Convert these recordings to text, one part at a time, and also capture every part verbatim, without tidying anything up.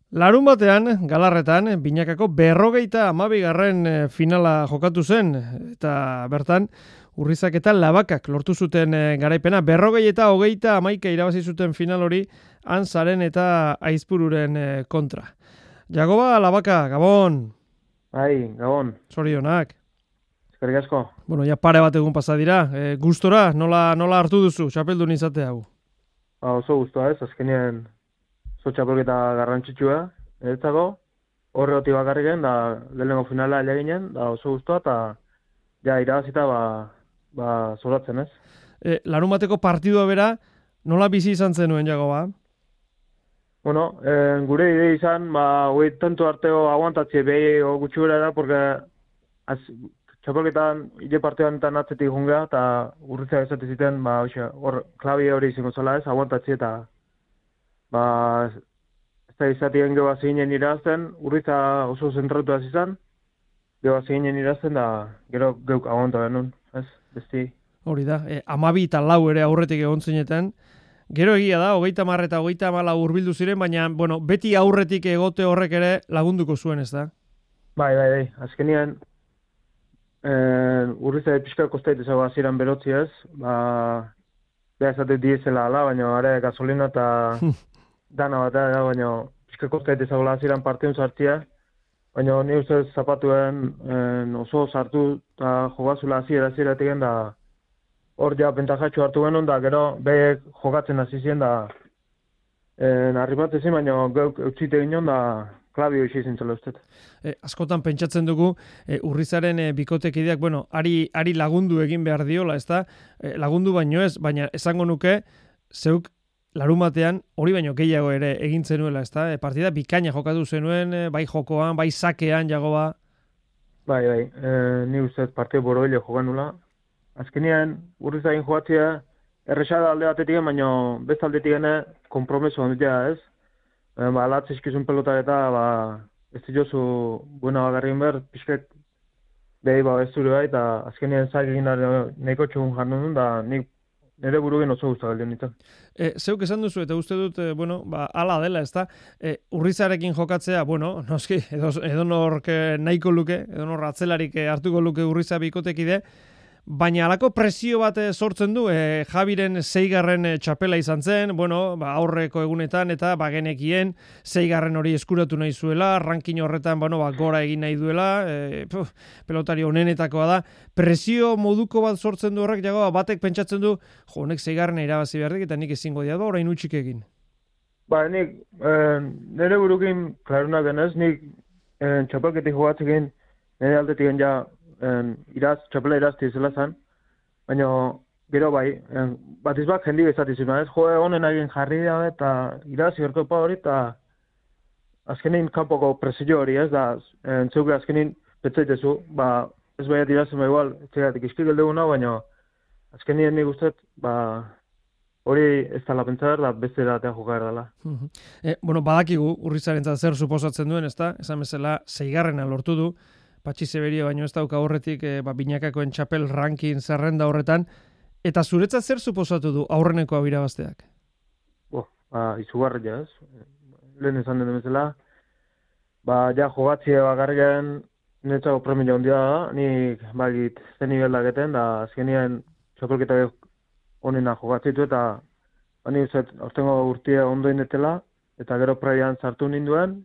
Larun batean, Galarretan, binakako berrogeita hamabigarren finala jokatu zen, eta bertan, Urrizak eta Labakak lortu zuten garaipena. Berrogei eta hogeita hamaika irabazi zuten final hori, Anzaren eta Aizpururen kontra. Jagoba, Labaka, Gabon! Bai, Gabon. Zorionak. Eskerrik asko. Bueno, ja pare bat egun pasa dira. E, gustora, nola, nola hartu duzu, txapeldun izate hau? Ba, oso guztua ez, azkenean oso txapelketa garrantzitsua, eretzako, horre hoti bakarriken, da lehenengo finala eleginen, da oso guztua, eta ja irabazita ba, ba zoratzen ez. E, larun bateko partidua bera, nola bizi izan zenuen, Jagoba? Bueno, eh, gure ide izan, ba, hoi tanto arteo aguantatzie behi o gutxi bera da, porque az, txapelketan hile partidan eta atzetik jungea, eta urritzak esate ziten, ba, oixe, hor klabi hori izango zela ez, aguantatzie eta ba, ez da izatien gehoa zehinen irazten, urritza oso zentratu az izan, gehoa zehinen irazten, da gero geuk aguanta benun, ez, besti. Hori da, e, amabi eta lau ere aurretik egon zineten. Gero egia da, hogeita hamar eta hogeita hamala hurbildu ziren, baina, bueno, beti aurretik egote horrek ere lagunduko zuen, ez da? Bai, bai, bai, azkenian, eh, urritza pixka kostait ezago aziran berotzi ez, ba, beha esate diezela ala, baina are gasolina eta dana bat da, baina pixka kostait ezago aziran partiun sartzia, baina ni ustez zapatuen en, oso sartu eta jogazula aziera aziera etigen da, hor ja bentajatxo hartu genuen, da gero behek jokatzen hasi ziren, da arribatzen zin, baina geuk eutsite ginen, da klabio isi zintzela ustet. E, askotan pentsatzen dugu, e, Urrizaren e, bikotekideak, bueno, ari, ari lagundu egin behar diola, ez da? E, lagundu baino ez, baina esango nuke, zeuk larun batean hori baino gehiago ere egin zenuela, ez da? E, partida bikaina jokatu zenuen, e, bai jokoan, bai sakean, Jagoba. Bai, bai, e, ni ustez partida boroile jokan nula. Azkenean, Urrizagin joatzea, errexada alde batetik, baina beste aldetik gene kompromeso handitea ez. E, ba, alatze eskizun pelota eta, ba, ez diozu buena bagarrin behar, pixket behi ba ez zure bai, eta azkenean zaik egin nahiko txugun jarnu da, nik nire burugen oso guztak aldeon nintzen. E, zeuk esan duzu, eta uste dut, e, bueno, ba, ala dela, ez da, e, Urrizarekin jokatzea, bueno, noski, edo, edo nork nahiko luke, edo nor atzelarik hartuko luke Urriza bikotekide, baina halako presio bat sortzen du, e, Javiren seigarren txapela izan zen, bueno, ba, aurreko egunetan eta bagenekien seigarren hori eskuratu nahi zuela, ranking horretan, bueno, ba, gora egin nahi duela, e, puf, pelotari honenetakoa da, presio moduko bat sortzen du horrek, Jagoba, batek pentsatzen du, jo, honek seigarren irabazi beharrik eta nik ezingo dia, ba, orain utxik egin. Ba, nik, eh, nire burukin, klarunak denez, nik eh, txapelketik jogatzekin, nire aldetik ja, En, iraz, txapela irazti izela zen, baina gero bai, en, bat izbak jendi bezatizuna, ez? Jo, honen egin jarri da, eta iraz, igerkopa hori, eta azkenin kanpoko presio hori, ez da, entzeuke azkenin petzaitezu, ba, ez baiat irazen ba igual, etxegatik izkik eldeguna, baina azkenin nik guztet, ba, hori ez da lapentzar, da beste eratea jokar dela. e, bueno, badakigu, Urrizarentzat zer suposatzen duen, ez da? Esan bezala, seigarrena lortu du, Patxi Zeberio baino ez dauka horretik e, ba, binakakoen txapel ranking zerrenda horretan, eta zuretzat zer suposatu du aurreneko hau irabazteak? Bo, ba, izugarri ja ez. Lehen esan den bezala, ba, ja jogatzea bakarriken netzako premio handia da, nik bagit zen niveldak eten, da azkenien txapelketa honena jogatzitu eta hani uzet, aurtengo urtia ondo indetela, eta gero prebian sartu ninduen,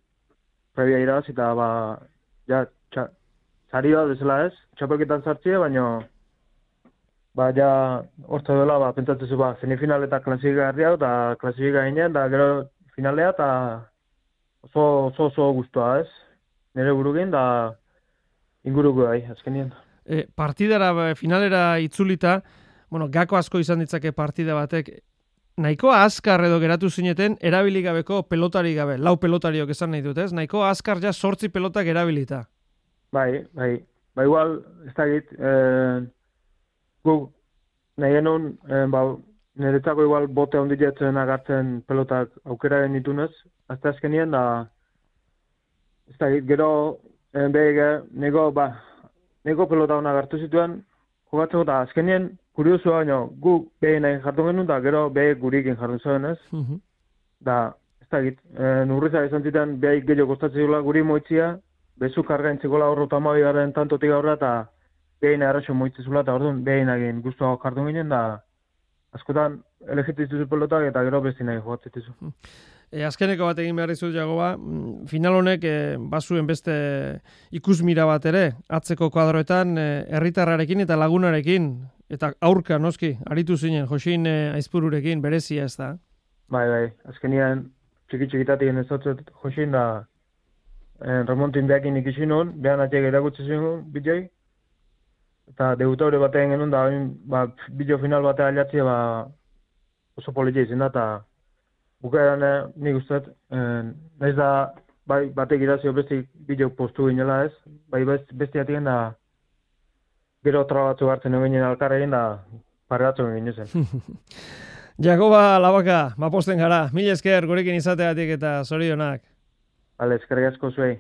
prebia irabaz, eta ba, ja, txa, Zari bat bezala ez, txapelketan sartzea, baina ba, ja, hortza dela, ba, pentsatzezu, ba, semifinal eta klasifika garria, eta klasifika ginen, da gero finalea, eta oso, oso, oso guztua ez, nire burukin, da inguruko gai, azkenien. E, partidara, finalera itzulita, bueno, gako asko izan ditzake partida batek, nahiko azkar edo geratu zineten, erabilik gabeko pelotari gabe, lau pelotariok esan nahi dut, ez? Nahiko azkar ja sortzi pelotak erabilita. Bai, bai, ba igual, ez da git, eh, guk nahi genuen, eh, ba, niretzako igual bote handi jetzen agartzen pelotak aukeraren ditunez, azte azkenien, da, ez da git, gero, eh, behige, nego, ba, nego pelota hona agartu zituen, jogatzeko, da, azkenien, kuriosu baino, guk behin nahi jartu genuen, da, gero, behik gurikin jartu zuen, ez? Uh-huh. Da, ez dakit, e, Urrizak izan zitan behaik gehiago kostatzen dula guri moitzia, bezu kargaintzikola horro tamabi garen tantotik aurra, eta behin arraxo moitzezula, eta orduan behin agin guztuago jardun ginen, da askotan elegitzizu pelotak eta gero besti nahi jogatzizu. E, azkeneko bat egin behar dizut, Jagoba, final honek e, bazuen beste ikusmira bat ere, atzeko kuadroetan e, herritarrarekin eta lagunarekin, eta aurka noski, aritu zinen, Josin e, Aizpururekin, berezia ez da? Bai, bai, azkenian txiki-txikitatik enezatzet Josin da en, remontin behakin ikisi nun, behan atxek erakutsi zinen bidei, eta debutaure batean genuen da, ba, bideo final batea aliatzea ba, oso politia izin da, eta bukaeran eh, nik usteet, eh, nahiz da, bai, batek irazio beste bideo postu ginela ez, bai beste atien da, gero tra batzu hartzen egin alkarregin da, pare batzu egin zen. Jagoba Labaka, maposten gara, mila esker gurekin izateatik eta zorionak. Bale, eskerrik asko zuei.